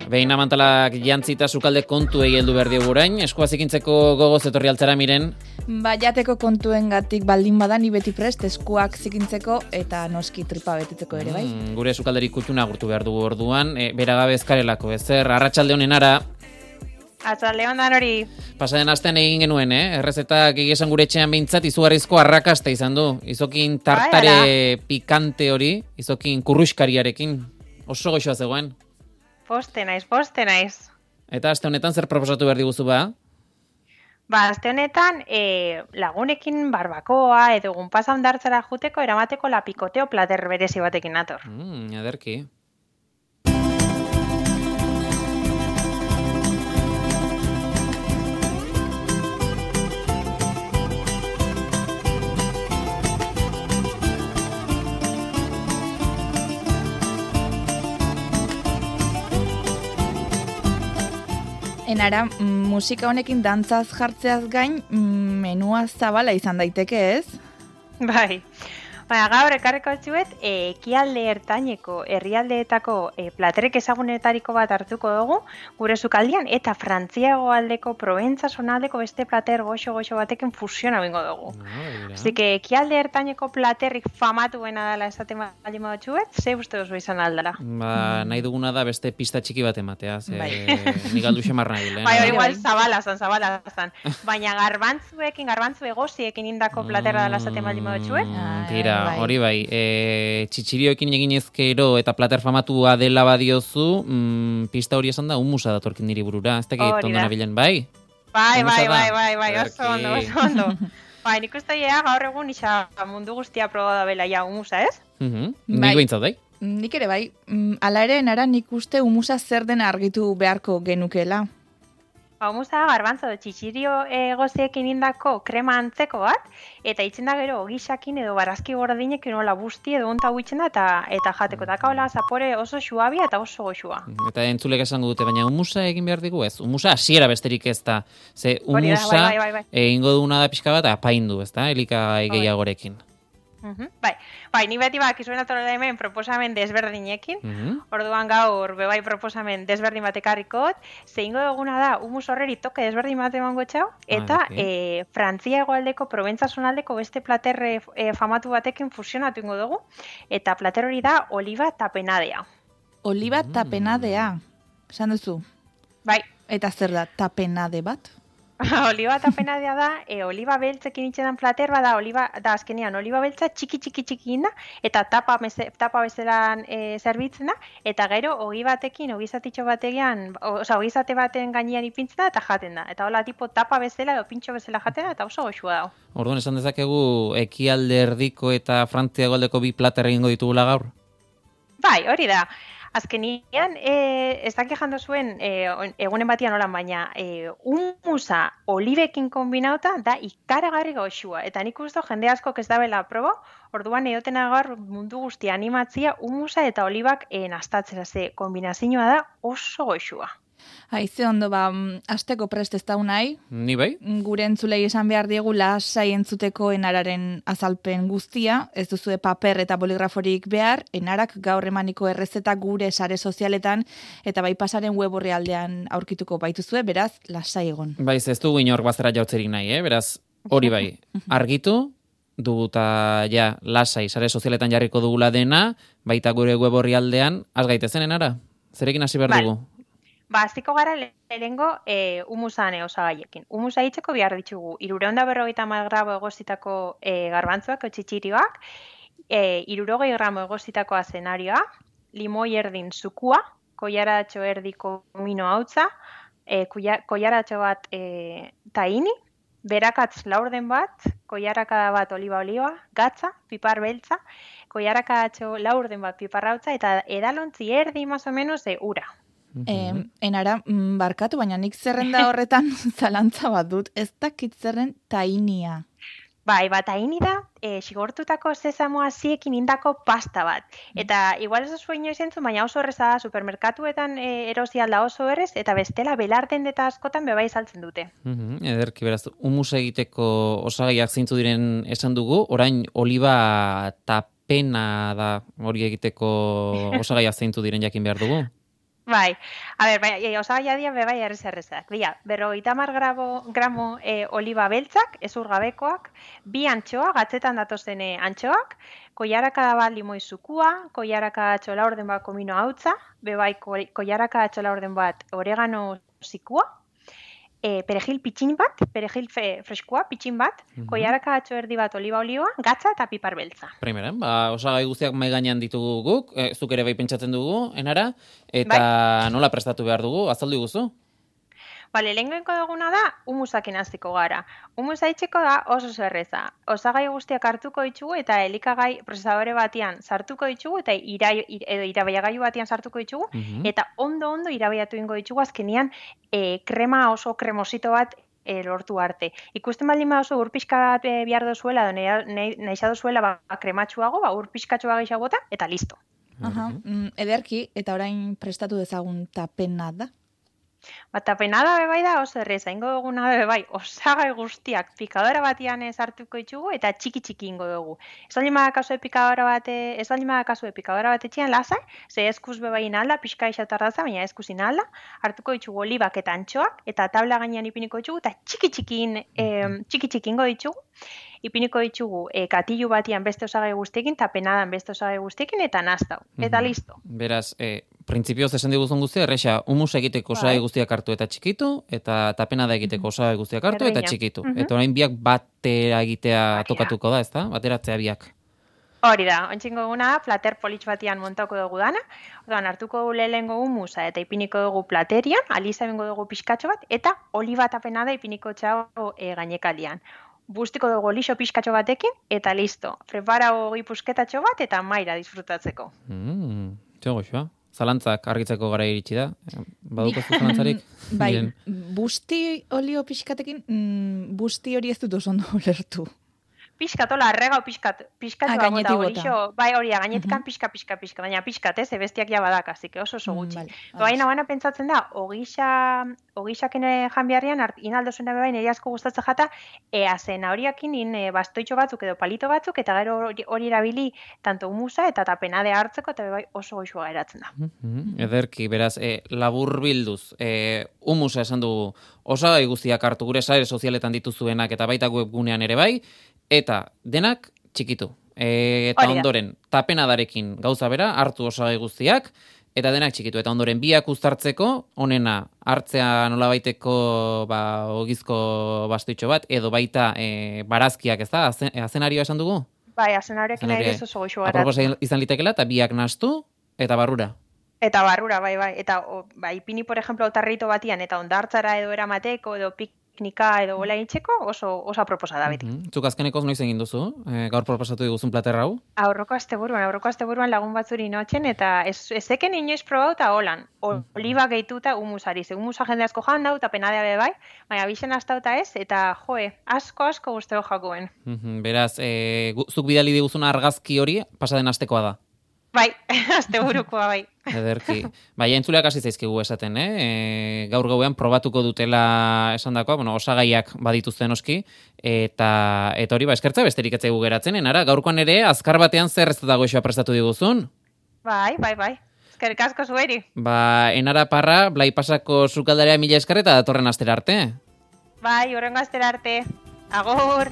Behin amantalak jantzita sukalde kontuei heldu behar diogu orain, eskua zikintzeko gogoz etorri altzara miren. Jateko kontuengatik baldin bada ni beti prest eskuak zikintzeko eta noski tripa betetzeko ere bai. Gure sukalderi kultuna agurtu behar dugu orduan, beragabe ezkarelako, ezer, arratsalde honen ara. Arratsalde honen hori. Pasaden astean egin genuen, errezetak egizan gure etxean behintzat izugarrizko arrakasta izan du. Izokin tartare pikante hori, izokin kurruskariarekin, oso goxoa zegoen. Poste naiz. Eta aste honetan zer proposatu behar diguzu ba? Aste honetan lagunekin barbakoa edo egun pasa hondartzara juteko eramateko lapikoteo plater berezi batekin nator. Aderki. Enara, musika honekin dantzaz jartzeaz gain, menua zabala izan daiteke, ez? Bai. Gaur ekarriko txuet, ekialde ertaineko herrialdeetako platerek ezagunetariko bat hartuko dugu, gure sukaldian, eta Frantziago aldeko, Proventza zonaldeko beste plater goxo batekin fusiona bingo dugu. Así que ekialde ertaineko platerrik famatuena dela esaten baldin badutxuet, ze uste duzu izan aldala? Nahi duguna da beste pista txiki bat ematea, nik aldu xemar nahi. Hori igual zabala zan. Baina garbantzu egoziekin indako platera dela esaten baldin badutxuet? Tira, hori bai, txitsirioekin egin ezkero eta plater famatua dela badiozu, pista hori esan da, humusa datorkin niri burura, ez dakit ondo nabilen, bai? Bai, oso ondo. Nik uste gaur egun isa mundu guztia proba da bela ja humusa, ez? Nik behintzat, bai? Nik ere bai, ala ere nara nik uste humusa zer den argitu beharko genukela. Humusa garbantzo txitsirio egoziekin indako krema antzeko bat, eta itzen da gero ogixakin edo barazki gordinekin hola busti edo onta huitzen da eta jateko. Eta hola zapore oso xuabia eta oso goxua. Eta entzulek esango dute, baina humusa egin behar digu ez? Humusa hasiera besterik ez da. Ze humusa egingo duguna da pixka bat apaindu, ez da? Elikagai gehiagorekin. Bai, ni beti bakizuen atorela hemen proposamen desberdinekin, orduan gaur bebai proposamen desberdin bat ekarrikot, zeingo duguna da humus horreri toke desberdin bat emango txau, eta Frantzia hegoaldeko, Proventza zonaldeko beste plater famatu batekin fusionatu ingo dugu, eta plater hori da oliva tapenadea. Oliva tapenadea, esan duzu? Bai. Eta zer da, tapenade bat? Oliba tapenadea da, oliba beltzekin itxedan plater bada, da azkenean oliba beltza txiki da, eta tapa bezelan zerbitzen da, eta gero ogizatitxo batean, ogizate baten gainean ipintzen da, eta jaten da. Eta hola tipo tapa bezala edo pintxo bezala jaten da, eta oso goxua dago. Orduan esan dezakegu ekialde erdiko eta Frantzia hegoaldeko bi plater egingo ditugula gaur? Bai, hori da. Azkenian, ez dakik jando zuen egunen batian holan, baina humusa olibekin kombinauta da ikaragarri goxua. Eta nik uste jende askok ez dabela probo, orduan edoten agar mundu guztia animatzia humusa eta olibak nastatzera ze kombinazioa da oso goxua. Haize ondo, asteko prest ez dau nahi. Ni bai. Gure entzulei esan behar diegu lasai entzuteko enararen azalpen guztia, ez duzue paper eta boligraforik behar, enarak gaur emaniko errezeta gure sare sozialetan, eta bai pasaren web orrialdean aurkituko baituzue, beraz, lasai egon. Baiz, ez dugu inork bazera jautzerik nahi, beraz, hori bai, argitu, dugu eta lasai sare sozialetan jarriko dugula dena, baita gure web orrialdean, az gaitezen enara? Zerekin hasi behar dugu? Aztiko gara lehengo humusan osagaiekin. Humusa hitzeko behar ditugu 350 gramo egozitako garbantzuak, txitsirioak, 60 gramo egozitako azenarioa, limoi erdin zukua, koiaratxo erdiko komino hautza, koiaratxo bat tahini, berakatz laurden bat, koiarakada bat oliba, gatza, pipar beltza, koiarakatxo laurden bat pipar hautza, eta edalontzi erdi más o menos ura. Enara, barkatu, baina nik zerrenda horretan zalantza bat dut, ez dakit zerren tainia. Bai, taini da, sigortutako sesamoa ziekin indako pasta bat. Eta igual ez zuen inoiz entzun, baina oso erreza da, supermerkatuetan erosi alda oso errez, eta bestela belarten eta askotan bebai saltzen dute. Ederki, beraz, humus egiteko osagaiak zeintzu diren esan dugu, orain oliba tapena da hori egiteko osagaiak zeintzu diren jakin behar dugu? Bai, a ber, bai, osagaia dira bai errezak. Dira, 50 gramo oliba beltzak, ezurgabekoak, 2 antxoa, gatzetan datozen antxoak, koiaraka bat limoi zukua, koiaraka txola orden bat komino hautza, bai koiaraka txola orden bat oregano zikua, perejil pitxin bat, perejil freskoa pitxin bat, koiaraka atxo erdi bat oliba olioa, gatza eta pipar beltza. Primera, osagai guztiak mai gainean ditugu guk, zuk ere bai pentsatzen dugu, enara, eta nola prestatu behar dugu, azaldu guzu? Bale, lehenko duguna da, humusakin hasiko gara. Humusa itxeko da oso zerreza. Osagai guztiak hartuko ditugu eta elikagai prozesadore batean sartuko ditugu eta irabaiagailu batean sartuko ditugu eta ondo irabaiatu ingo ditugu azkenian krema oso kremosito bat lortu arte. Ikusten baldin oso ur pixka bat behar dozuela, nahi dozuela krematxuago, ur pixkatxoa gehiago bota, eta listo. Ederki, eta orain prestatu dezagun tapena da? Tapenada bai da oso erreza, ingo duguna bai, osagai guztiak pikadora batian sartuko ditugu eta txiki ingo dugu. Ez baldin badakazue pikadora bat etxean lasai, ze eskuz bai inalda, pixka ixautardaza, baina eskuz inalda, hartuko ditugu olibak eta antxoak, eta tabla gainean ipiniko ditugu, eta txiki ingo ditugu, ipiniko ditugu katilu batian beste osagai guztiekin, tapenadan beste osagai guztiekin, eta nastau, eta listo. Beraz, printzipioz esan diguzun guztia, erresa, humus egiteko osagai guztiak hartu eta txikitu, eta tapenada egiteko osagai guztiak hartu eta txikitu. Eta orain biak batera egitea tokatuko da, ezta? Bateratzea biak. Hori da, ontsingo duguna da, plater politx batian montako dugu dana, orduan hartuko dugu lehengo humusa eta ipiniko dugu platerian, aliza bengo dugu pixkatxo bat, eta oliba tapenada ipiniko txago gainekalian. Bustiko dugu lixo pixkatxo batekin, eta listo. Prepara hori pusketatxo bat, eta maira disfrutatzeko. Txego xoa. Zalantzak argitzeko gara iritsi da. Badukozu zalantzarik? Bai, busti olio pixkatekin, busti hori ez dut oso ondo ulertu. Pixkatola, arrega o pixkatxoa bota olixo, bai hori, gainetikan pixka, baina pixkat, bestiak ja badak, azik, oso gutxi. Baina bana pentsatzen da, ogixaken janbiarrian, inaldo zuen bai nire asko gustatzen jata, azena horiakin bastoitxo batzuk edo palito batzuk, eta gero hori erabili tanto humusa eta tapenade hartzeko, eta bai oso goxua geratzen da. Ederki, beraz, labur bilduz, humusa esan dugu, osagai guztiak hartu gure sare sozialetan dituzuenak eta baita webgunean ere bai, eta denak txikitu. Eta ondoren, tapenadarekin gauza bera, hartu osagai guztiak, eta denak txikitu. Eta ondoren, biak uztartzeko, onena hartzea nolabaiteko ogizko bastoitxo bat, edo baita barazkiak, ez da? Azenarioa esan dugu? Bai, azenarioak nahi ez oso goxu gara. Aproposa izan litekela, eta biak nastu, eta barrura. Eta barrura, bai. Eta ipini, por ejemplo, otarrito batian, eta ondartzara edo eramateko, edo piknika edo bola itxeko, oso aproposa da beti. Zuk azkenekoz noiz egin duzu? Gaur proposatu diguzun plater hau? Aurroko asteburuan lagun batzuri notzen, eta ezeken inoiz probau eta holan. Oliba gehituta humusari. Ze humusa jende asko jan dau, eta penadea bai, baina bixen hastauta ez, eta asko guzteo jakuen. Beraz, zuk bidali diguzun argazki hori, pasaden astekoa da? Bai, asteburukoa bai. Ederki. Bai, entzuleak hasi zaizkigu esaten, gaur gauean probatuko dutela esandakoa, osagaiak badituzten oski, eta hori, eskertza besterik etzaigu geratzen, enara, gaurkoan ere, azkar batean zer ez dago eixoa prestatu diguzun? Bai. Eskerrik asko zueri. Enara Parra, Blai Pasako sukaldarea mila esker eta datorren astera arte. Bai, horrengo astera arte. Agor!